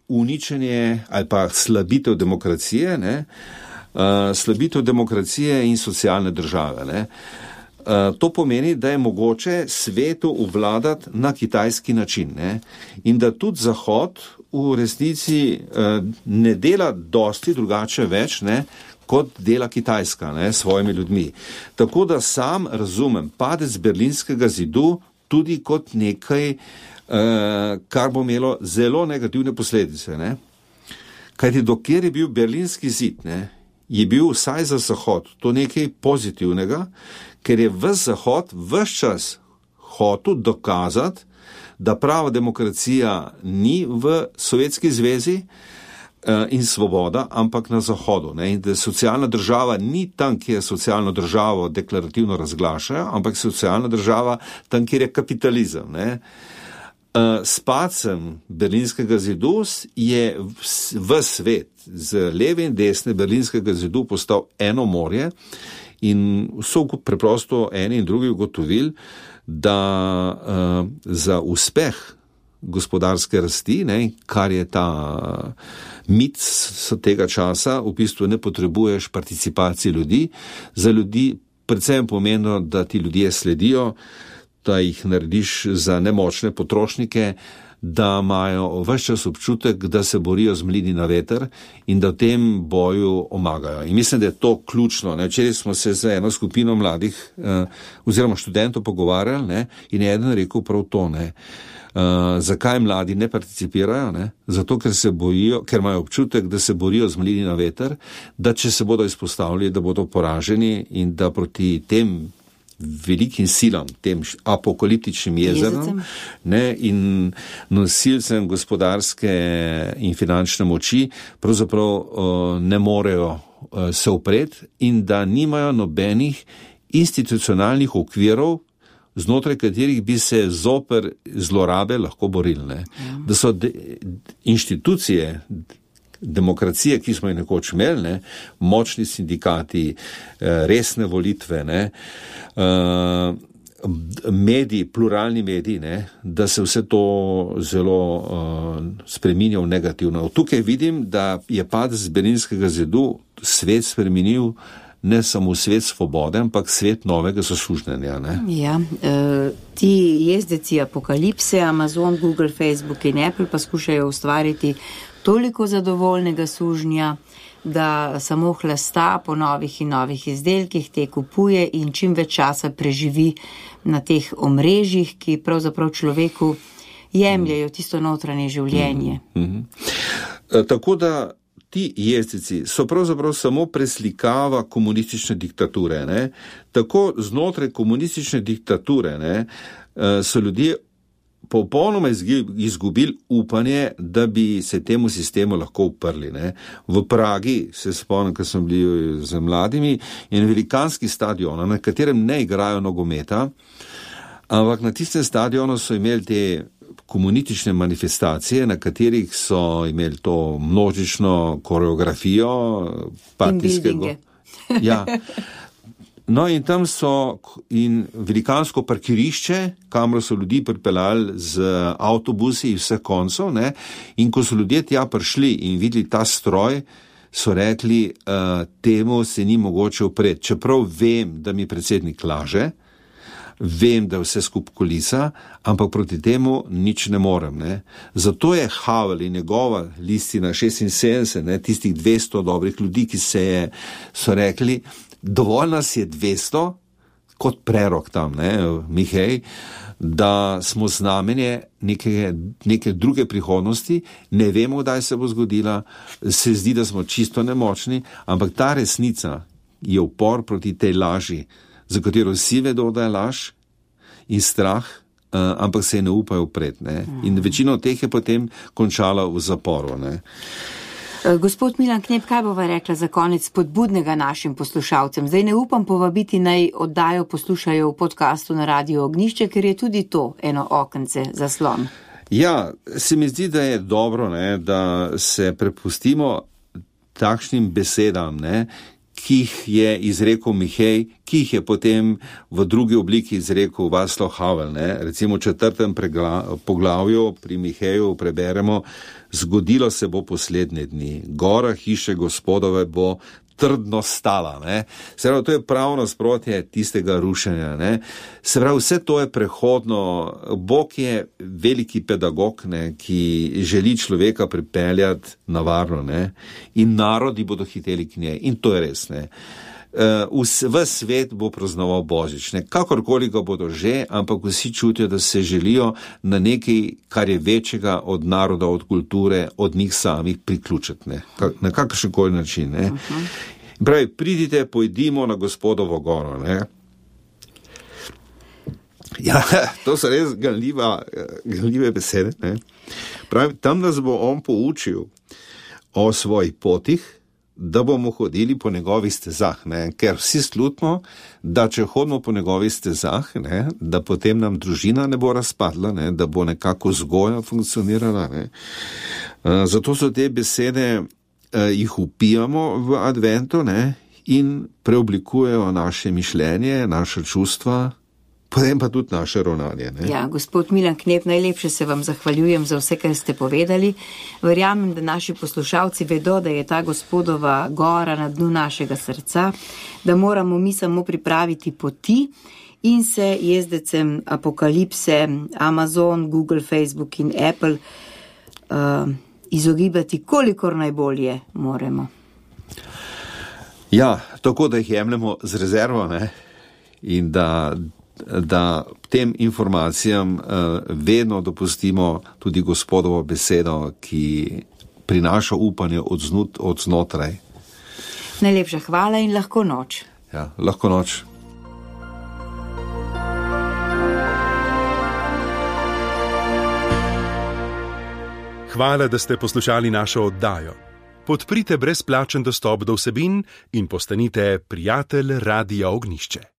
C: uničenje ali pa slabitev demokracije, ne, slabitev demokracije in socialne države. Ne. To pomeni, da je mogoče svetu uvladati na kitajski način, ne? In da tudi Zahod v resnici ne dela dosti drugače več, ne, kot dela Kitajska, ne, s svojimi ljudmi. Tako da sam razumem padec Berlinskega zidu tudi kot nekaj, kar bo imelo zelo negativne posledice. Ne? Kajti dokler je bil Berlinski zid, ne, je bil vsaj za Zahod to nekaj pozitivnega, ker je ves Zahod ves čas hotel dokazati, da prava demokracija ni v Sovjetski zvezi in svoboda, ampak na Zahodu. Ne? In da socialna država ni tam, kjer socialno državo deklarativno razglašajo, ampak socialna država tam, kjer je kapitalizem. Ne? S padcem Berlinskega zidu je v svet z leve in desne Berlinskega zidu postal eno morje in so preprosto eni in drugi ugotovili, da za uspeh gospodarske rasti, ne, kar je ta mit tega časa, v bistvu ne potrebuješ participacije ljudi. Za ljudi predvsem pomeni, da ti ljudje sledijo, da jih narediš za nemočne potrošnike, da imajo ves čas občutek, da se borijo z mlini na veter in da v tem boju omagajo. In mislim, da je to ključno. Včeraj smo se z eno skupino mladih oziroma študentov pogovarjali, ne, in je eden rekel prav to. Ne. Zakaj mladi ne participirajo? Ne? Zato, ker se bojijo, ker imajo občutek, da se borijo z mlini na veter, da če se bodo izpostavili, da bodo poraženi in da proti tem velikim silam, tem apokaliptičnim jezerom, ne, in nosilcem gospodarske in finančne moči pravzaprav ne morejo se upreti in da nimajo nobenih institucionalnih okvirov, znotraj katerih bi se zoper zlorabe lahko borili. Ne. Da so inštitucije demokracije, ki smo jih nekoč imeli, ne, močni sindikati, resne volitve, ne, mediji, pluralni mediji, ne, da se vse to zelo spreminja v negativno. Tukaj vidim, da je padec Berlinskega zidu svet spremenil ne samo svet svobode, ampak svet novega zaslužnjenja. Ne?
B: Ja, ti jezdeci apokalipse, Amazon, Google, Facebook in Apple pa skušajo ustvariti toliko zadovoljnega sužnja, da samo hlasta po novih in novih izdelkih, te kupuje in čim več časa preživi na teh omrežjih, ki pravzaprav človeku jemljajo tisto notranje življenje.
C: Tako da ti jezdeci so pravzaprav samo preslikava komunistične diktature. Ne? Tako znotraj komunistične diktature, ne, so ljudje popolnoma izgubili upanje, da bi se temu sistemu lahko uprli. Ne. V Pragi, se spomnim, ko smo bili z mladimi, je velikanski stadion, na katerem ne igrajo nogometa, ampak na tistem stadionu so imeli te komunistične manifestacije, na katerih so imeli to množično koreografijo, partijskega. Ja. No in tam so in velikansko parkirišče, kamor so ljudi pripeljali z avtobusi iz vseh koncev, ne, in ko so ljudje tja prišli in videli ta stroj, so rekli, temu se ni mogoče upreti. Čeprav vem, da mi predsednik laže, vem, da je vse skup kulisa, ampak proti temu nič ne morem. Ne. Zato je Havel in njegova listina 76, ne, tistih 200 dobrih ljudi, ki so rekli, dovolj nas je 200, kot prerok tam, ne, Mihej, da smo znamenje neke druge prihodnosti, ne vemo, kdaj se bo zgodila, se zdi, da smo čisto nemočni, ampak ta resnica je upor proti tej laži, za katero vsi vedo, da je laž in strah, ampak se je ne upajo upret. Ne? In večino teh je potem končala v zaporu. Ne?
B: Gospod Milan Knep, kaj bova rekla za konec spodbudnega našim poslušalcem? Zdaj ne upam povabiti, naj oddajo poslušajo v podcastu na Radio Ognjišče, ker je tudi to eno okence zaslon.
C: Ja, se mi zdi, da je dobro, ne, da se prepustimo takšnim besedam, ne, ki jih je izrekel Mihej, ki jih je potem v drugi obliki izrekel Václav Havel. Ne. Recimo v 4. poglavju pri Miheju preberemo: zgodilo se bo poslednje dni, gora hiše Gospodove bo trdno stala. Ne. Se pravi, to je prav nasprotje tistega rušenja. Ne. Se pravi, vse to je prehodno. Bog je veliki pedagog, ne, ki želi človeka pripeljati na varno, ne. In narodi bodo hiteli k njej. In to je res. Ne. V svet bo praznoval Božič, ne. Kakorkoli ga bodo že, ampak vsi čutijo, da se želijo na nekaj, kar je večjega od naroda, od kulture, od njih samih priključiti, ne. Na kakršenkoli način. Ne. Pravi, pridite, pojdimo na Gospodovo goro. Ne. Ja, to so res ganljive besede. Ne. Pravi, tam nas bo on poučil o svojih potih, da bomo hodili po njegovih stezah, ne? Ker vsi slutimo, da če hodimo po njegovih stezah, ne? Da potem nam družina ne bo razpadla, ne? Da bo nekako vzgoja funkcionirala. Ne? Zato so te besede, jih upijamo v adventu, ne? In preoblikujejo naše mišljenje, naše čustva, potem pa tudi naše ravnanje. Ne?
B: Ja, gospod Milan Knep, najlepše se vam zahvaljujem za vse, kar ste povedali. Verjamem, da naši poslušalci vedo, da je ta Gospodova gora na dnu našega srca, da moramo mi samo pripraviti poti in se jezdecem apokalipse, Amazon, Google, Facebook in Apple izogibati, kolikor najbolje moremo.
C: Ja, tako da jih jemljemo z rezervo, ne? In da tem informacijam vedno dopustimo tudi Gospodovo besedo, ki prinaša upanje od znotraj.
B: Najlepša hvala in lahko noč.
C: Ja, lahko noč.
D: Hvala, da ste poslušali našo oddajo. Podprite brezplačen dostop do vsebin in postanite prijatelj Radia Ognjišče.